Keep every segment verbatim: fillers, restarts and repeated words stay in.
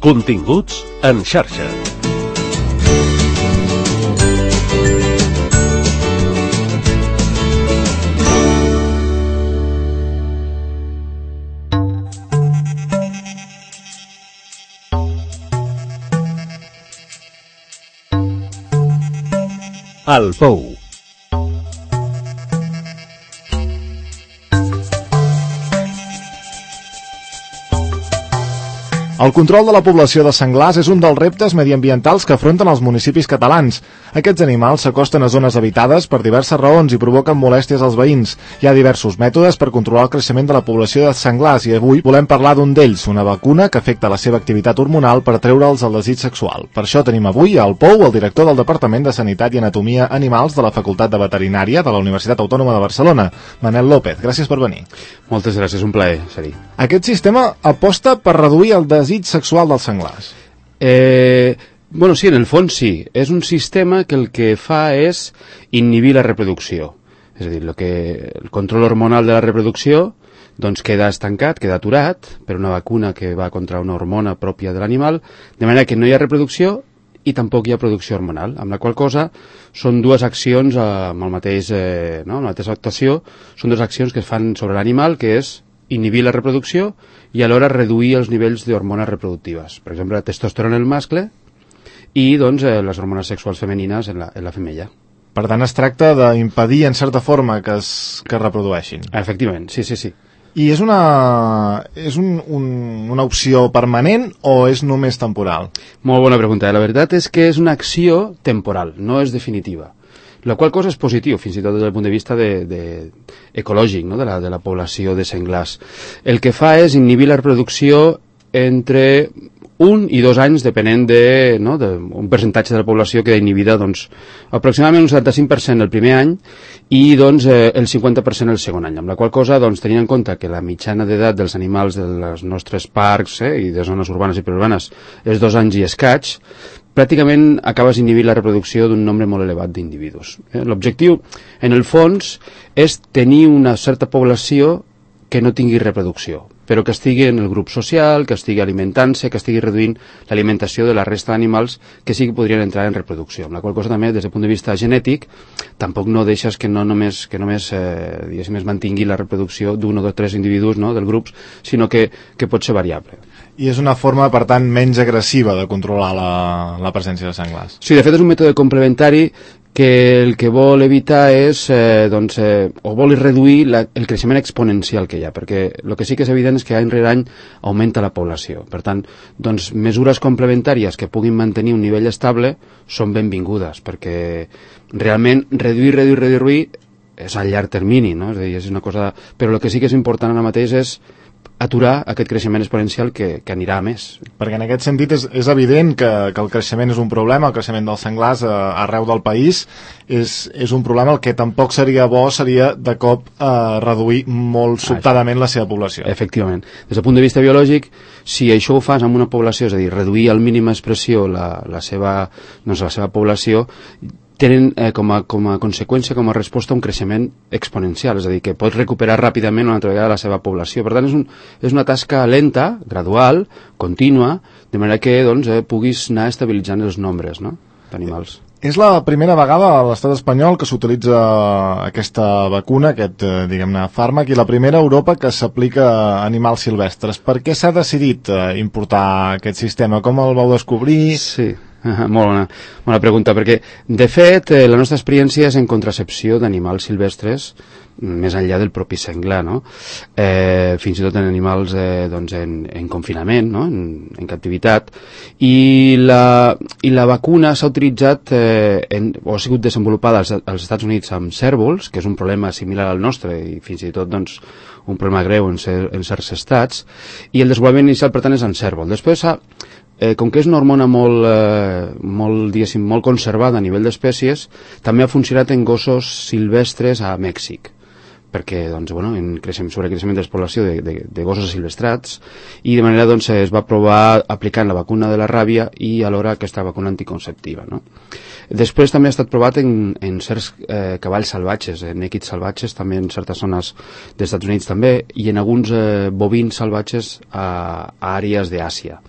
Continguts en xarxa. El Pou. El control de la població de senglars és un dels reptes mediambientals que afronten els municipis catalans. Aquests animals s'acosten a zones habitades per diverses raons i provoquen molèsties als veïns. Hi ha diversos mètodes per controlar el creixement de la població de senglars i avui volem parlar d'un d'ells, una vacuna que afecta la seva activitat hormonal per treure'ls el desig sexual. Per això tenim avui al Pou el director del Departament de Sanitat i Anatomia Animals de la Facultat de Veterinària de la Universitat Autònoma de Barcelona, Manel López. Gràcies per venir. Moltes gràcies, un plaer ser-hi. Aquest sistema aposta per reduir el desig sexual dels senglars. Eh, bueno, sí, en el fons sí. És un sistema que el que fa és inhibir la reproducció. És a dir, el, que, el control hormonal de la reproducció doncs queda estancat, queda aturat per una vacuna que va contra una hormona pròpia de l'animal, de manera que no hi ha reproducció i tampoc hi ha producció hormonal, amb la qual cosa són dues accions eh, amb el mateix, eh, no? amb la mateixa actuació, són dues accions que es fan sobre l'animal, que és inhibir la reproducció i alhora reduir els nivells d'hormones reproductives. Per exemple, la testosterona en el mascle i doncs, eh, les hormones sexuals femenines en la, en la femella. Per tant, es tracta d'impedir, en certa forma, que es, que es reprodueixin. Efectivament, sí, sí, sí. I és una, és un, un, una opció permanent o és només temporal? Molt bona pregunta. La veritat és que és una acció temporal, no és definitiva. La qual cosa és positiu, fins i tot des del punt de vista de, de, ecològic, no? de, la, de la població de senglars. El que fa és inhibir la reproducció entre un i dos anys, depenent de, no? de un percentatge de la població queda inhibida, doncs, aproximadament un setanta-cinc per cent el primer any i doncs, eh, el cinquanta per cent el segon any, amb la qual cosa, doncs, tenint en compte que la mitjana d'edat dels animals dels nostres parcs eh, i de zones urbanes i periurbanes és dos anys i escaig, pràcticament acabes inhibint la reproducció d'un nombre molt elevat d'individus. Eh? L'objectiu, en el fons, és tenir una certa població que no tingui reproducció, però que estigui en el grup social, que estigui alimentant-se, que estigui reduint l'alimentació de la resta d'animals que sí que podrien entrar en reproducció. Amb la qual cosa també, des del punt de vista genètic, tampoc no deixes que no només, que només eh, diguéssim, es mantingui la reproducció d'un o dos o tres individus no, del grup, sinó que, que pot ser variable. I és una forma, per tant, menys agressiva de controlar la, la presència de senglars. Sí, de fet és un mètode complementari que el que vol evitar és, eh, doncs, eh, o vol reduir la, el creixement exponencial que hi ha, perquè el que sí que és evident és que any rere any augmenta la població. Per tant, doncs, mesures complementàries que puguin mantenir un nivell estable són benvingudes, perquè realment reduir, reduir, reduir és a llarg termini, no? És a dir, és una cosa... Però el que sí que és important ara mateix és aturar aquest creixement exponencial que, que anirà a més. Perquè en aquest sentit és, és evident que, que el creixement és un problema, el creixement dels senglars eh, arreu del país és, és un problema. El que tampoc seria bo seria de cop eh, reduir molt sobtadament la seva població. Efectivament. Des del punt de vista biològic, si això ho fas amb una població, és a dir, reduir al mínima expressió la, la, seva, doncs la seva població, tenen eh, com, a, com a conseqüència, com a resposta, un creixement exponencial, és a dir, que pots recuperar ràpidament una altra vegada la seva població. Per tant, és, un, és una tasca lenta, gradual, contínua, de manera que doncs, eh, puguis anar estabilitzant els nombres no? d'animals. És la primera vegada a l'estat espanyol que s'utilitza aquesta vacuna, aquest, eh, diguem-ne, fàrmac, i la primera a Europa que s'aplica a animals silvestres. Per què s'ha decidit eh, importar aquest sistema? Com el vau descobrir? Sí. Uh, molt bona, bona pregunta, perquè de fet eh, la nostra experiència és en contracepció d'animals silvestres més enllà del propi senglar, no? Eh, fins i tot en animals eh, doncs en, en confinament, no? en, en captivitat, i la, i la vacuna s'ha utilitzat eh, en, o ha sigut desenvolupada als, als Estats Units amb cérvols, que és un problema similar al nostre i fins i tot doncs, un problema greu en, cer en certs estats, i el desenvolupament inicial per tant és en cérvol. Després s'ha Eh, com que és una hormona molt, eh, molt, diguéssim, molt conservada a nivell d'espècies, també ha funcionat en gossos silvestres a Mèxic, perquè doncs, bueno, en creixement, sobre creixement de població de, de, de gossos silvestrats, i de manera doncs, es va provar aplicant la vacuna de la ràbia i alhora aquesta vacuna anticonceptiva. No? Després també ha estat provat en, en certs eh, cavalls salvatges, en èquids salvatges, també en certes zones dels Estats Units també, i en alguns eh, bovins salvatges a, a àrees d'Àsia.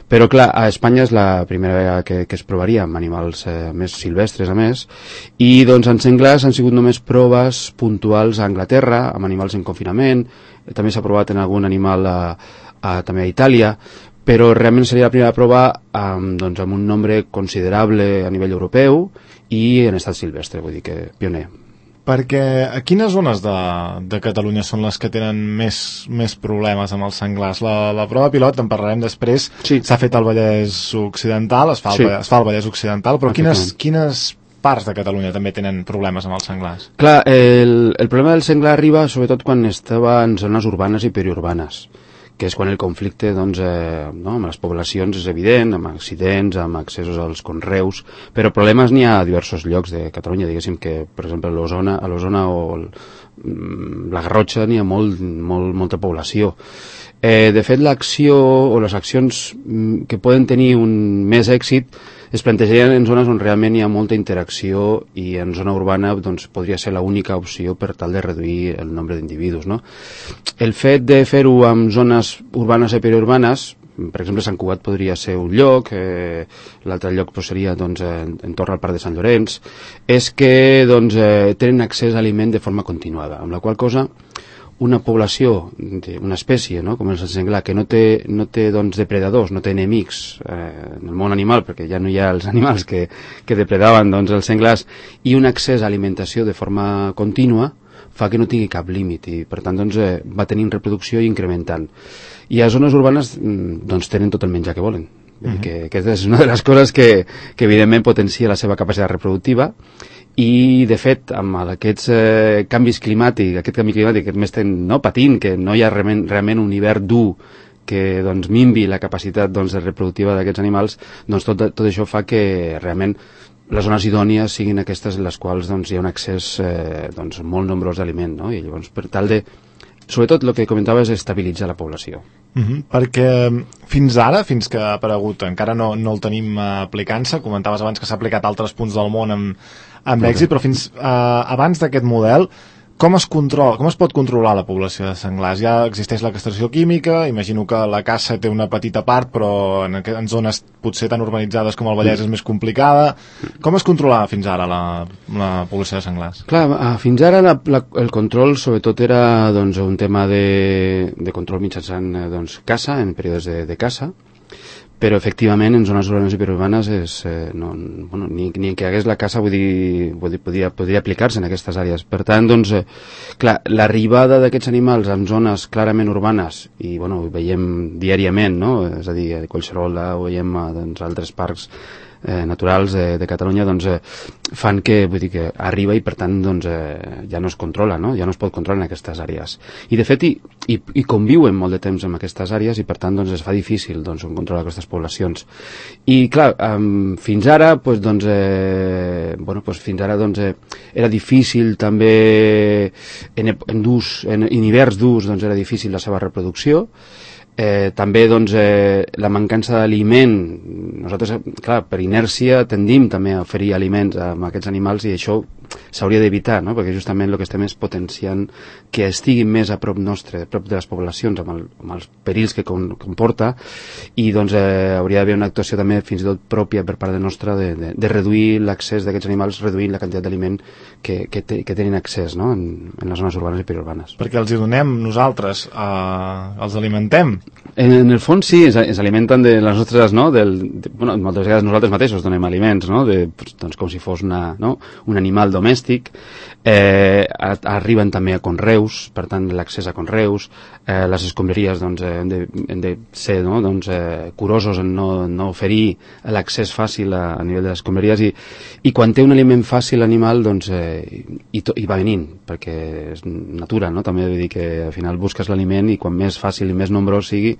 Però clar, a Espanya és la primera vegada que, que es provaria amb animals eh, més silvestres a més, i doncs en senglars han sigut només proves puntuals a Anglaterra, amb animals en confinament, també s'ha provat en algun animal a, a, també a Itàlia, però realment seria la primera prova amb, doncs, amb un nombre considerable a nivell europeu i en estat silvestre, vull dir que pioner. Perquè a quines zones de, de Catalunya són les que tenen més, més problemes amb els senglars? La, la prova pilot, en parlarem després, sí. S'ha fet al Vallès Occidental, es fa, sí. el, es fa al Vallès Occidental, però quines, quines parts de Catalunya també tenen problemes amb els senglars? Clar, el, el problema del senglar arriba sobretot quan estava en zones urbanes i periurbanes, que és quan el conflicte doncs, eh, no, amb les poblacions és evident, amb accidents, amb accessos als conreus, però problemes n'hi ha a diversos llocs de Catalunya, diguéssim que, per exemple, a l'Osona, a l'Osona o el, la Garrotxa n'hi ha molt, molt, molta població. Eh, de fet, l'acció o les accions que poden tenir un més èxit es plantejarien en zones on realment hi ha molta interacció i en zona urbana doncs, podria ser l'única opció per tal de reduir el nombre d'individus, no? El fet de fer-ho en zones urbanes i periurbanes, per exemple, Sant Cugat podria ser un lloc, eh, l'altre lloc pues, seria doncs, en, en torn al Parc de Sant Llorenç, és que doncs, eh, tenen accés a aliment de forma continuada, amb la qual cosa una població, una espècie, no? Com el senglar, que no té, no té doncs, depredadors, no té enemics eh, en el món animal, perquè ja no hi ha els animals que, que depredaven doncs, els senglars, i un accés a alimentació de forma contínua, fa que no tingui cap límit i per tant doncs, eh, va tenint reproducció i incrementant. I a zones urbanes doncs, tenen tot el menjar que volen. Uh-huh. que, que és una de les coses que, que evidentment potencia la seva capacitat reproductiva i de fet amb aquests eh, canvis climàtics, aquest canvi climàtic que més estem no, patint, que no hi ha realment, realment un hivern dur que doncs, minvi la capacitat doncs, reproductiva d'aquests animals, doncs tot, tot això fa que realment les zones idònies siguin aquestes en les quals doncs, hi ha un accés eh, doncs, molt nombrós d'aliment, no? I llavors per tal de, sobretot el que comentava és estabilitzar la població. Uh-huh, perquè fins ara, fins que ha aparegut, encara no, no el tenim uh, aplicant-se, comentaves abans que s'ha aplicat a altres punts del món amb, amb okay. èxit, però fins uh, abans d'aquest model, com es controla, com es pot controlar la població de senglars? Ja existeix la castració química, imagino que la caça té una petita part, però en, en zones potser tan urbanitzades com el Vallès és més complicada. Com es controlava fins ara la, la població de senglars? Clar, fins ara la, la, el control sobretot era doncs, un tema de, de control mitjançant doncs, caça, en períodes de, de caça, però efectivament en zones urbanes i periurbanes és, eh, no, bueno, ni, ni que hagués la caça vull dir, vull dir, podria, podria aplicar-se en aquestes àrees. Per tant, doncs, eh, clar, l'arribada d'aquests animals en zones clarament urbanes, i bueno, ho veiem diàriament, no? És a dir, a Collserola, ho veiem a doncs, altres parcs eh, naturals de, de Catalunya, doncs, eh, fan que, vull dir, que arriba i per tant doncs, eh, ja no es controla, no? Ja no es pot controlar en aquestes àrees. I de fet, i, i, i conviuen molt de temps en aquestes àrees i per tant doncs, es fa difícil doncs, controlar aquestes poblacions. I clar, um, fins ara, pues, doncs, eh, bueno, pues, fins ara doncs, eh, era difícil també en, en, durs, en, en hiverns durs doncs, era difícil la seva reproducció. Eh, també doncs, eh, la mancança d'aliment, nosaltres clar, per inèrcia tendim també a oferir aliments a, a aquests animals i això s'hauria d'evitar, no? Perquè justament el que estem és potenciant que estiguin més a prop nostre, a prop de les poblacions amb, el, amb els perills que com, comporta i doncs eh, hauria d'haver una actuació també fins i tot pròpia per part de nostra de, de, de reduir l'accés d'aquests animals reduint la quantitat d'aliment que, que, te, que tenen accés, no? en, en les zones urbanes i periurbanes. Perquè els hi donem nosaltres, eh, els alimentem. En, en el fons sí, ens, ens alimenten de les nostres, no? Del, de, bueno, moltes vegades nosaltres mateixos donem aliments, no? De, doncs, com si fos una, no? un animal domèstic. Eh, a, arriben també a conreus, per tant l'accés a conreus, eh, les escombraries doncs, eh, hem, de, hem de ser no? doncs, eh, curosos en no, no oferir l'accés fàcil a, a nivell de les escombraries i, i quan té un aliment fàcil l'animal doncs, eh, i, to, i va venint perquè és natura, no? També vull dir que al final busques l'aliment i quan més fàcil i més nombrós sigui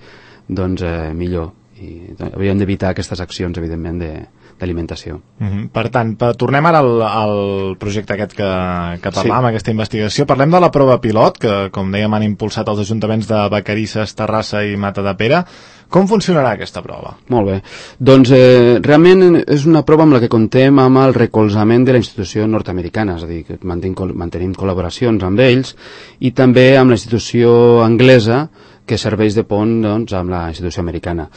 doncs eh, millor i hauríem d'evitar aquestes accions evidentment de d'alimentació. Uh-huh. Per tant, per, tornem ara al, al projecte aquest que, que parlàvem, sí. Aquesta investigació. Parlem de la prova pilot, que com dèiem han impulsat els ajuntaments de Vacarisses, Terrassa i Matadepera. Com funcionarà aquesta prova? Molt bé. Doncs eh, realment és una prova amb la que contem amb el recolzament de la institució nord-americana, és a dir, que mantenim, mantenim col·laboracions amb ells i també amb la institució anglesa que serveix de pont doncs, amb la institució americana.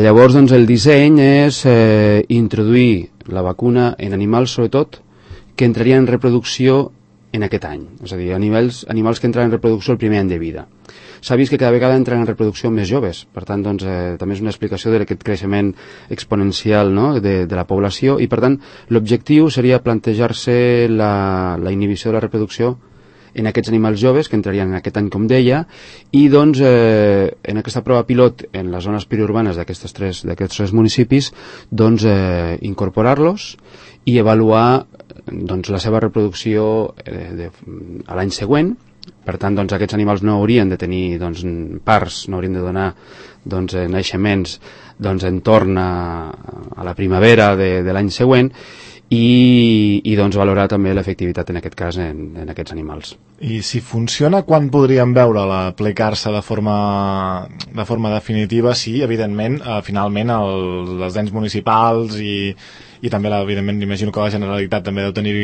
Llavors, doncs, el disseny és eh, introduir la vacuna en animals, sobretot, que entrarien en reproducció en aquest any. És a dir, animals, animals que entren en reproducció el primer any de vida. S'ha vist que cada vegada entren en reproducció més joves, per tant, doncs, eh, també és una explicació d'aquest creixement exponencial, no?, de, de la població, i per tant, l'objectiu seria plantejar-se la, la inhibició de la reproducció en aquests animals joves que entrarien en aquest any, com deia, i doncs eh, en aquesta prova pilot en les zones periurbanes d'aquests tres, d'aquests tres municipis, doncs eh, incorporar-los i avaluar doncs, la seva reproducció eh, de, a l'any següent. Per tant, doncs, aquests animals no haurien de tenir doncs, parts, no haurien de donar doncs, naixements doncs, en torn a, a la primavera de, de l'any següent, i, i doncs, valorar també l'efectivitat en aquest cas en, en aquests animals. I si funciona, quan podríem veure-la aplicar-se de forma, de forma definitiva? Sí, evidentment, eh, finalment el, les ens municipals i, i també, la, evidentment, imagino que la Generalitat també deu tenir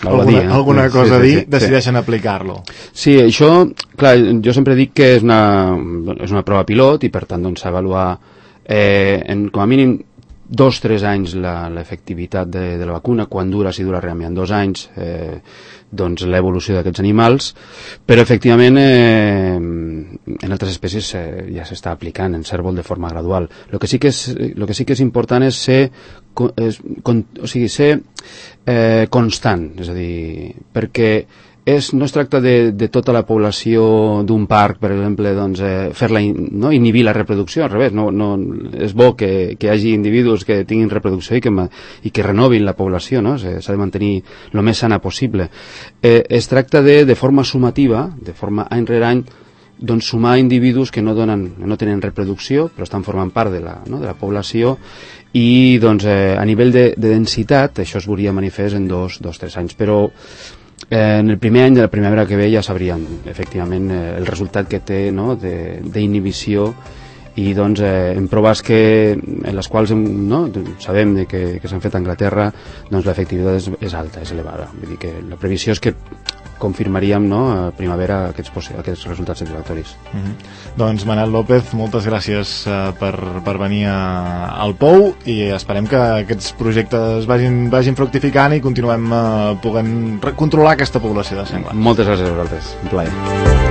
alguna, dir, eh? alguna sí, cosa sí, a dir, sí, sí, decideixen sí. aplicar-lo. Sí, això, clar, jo sempre dic que és una, és una prova pilot i per tant doncs avaluar eh, en, com a mínim dos, tres anys l'efectivitat de, de la vacuna, quan dura, si dura realment dos anys, eh, doncs l'evolució d'aquests animals, però efectivament eh, en altres espècies eh, ja s'està aplicant en cérvol de forma gradual. El que sí que és, lo que sí que és important és ser, és, con, o sigui, ser eh, constant, és a dir, perquè és, no es tracta de, de tota la població d'un parc, per exemple, doncs, eh, fer-la, no, inhibir la reproducció, al revés, no, no, és bo que, que hi hagi individus que tinguin reproducció i que, i que renovin la població, no? S'ha de mantenir el més sana possible. Eh, es tracta de, de forma sumativa, de forma any rere any, doncs sumar individus que no, donen, no tenen reproducció, però estan formant part de la, no, de la població, i doncs, eh, a nivell de, de densitat, això es veuria manifest en dos, dos, tres anys, però Eh, en el primer any de la primavera que ve ja sabríem efectivament eh, el resultat que té, no?, d'inhibició, i doncs eh, en proves que, en les quals hem, no, sabem de que, que s'han fet a Anglaterra, doncs l'efectivitat és, és alta, és elevada. Vull dir que la previsió és que confirmaríem, no, a primavera aquests, aquests resultats satisfactoris. Mm-hmm. Doncs Manel López, moltes gràcies uh, per, per venir a, al Pou, i esperem que aquests projectes vagin, vagin fructificant i continuem uh, podent controlar aquesta població de senglars. Moltes gràcies a vosaltres, un plaer.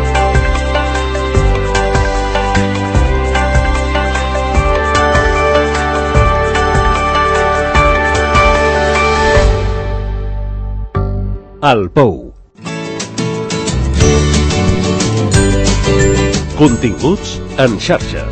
El Pou. Continguts en xarxa.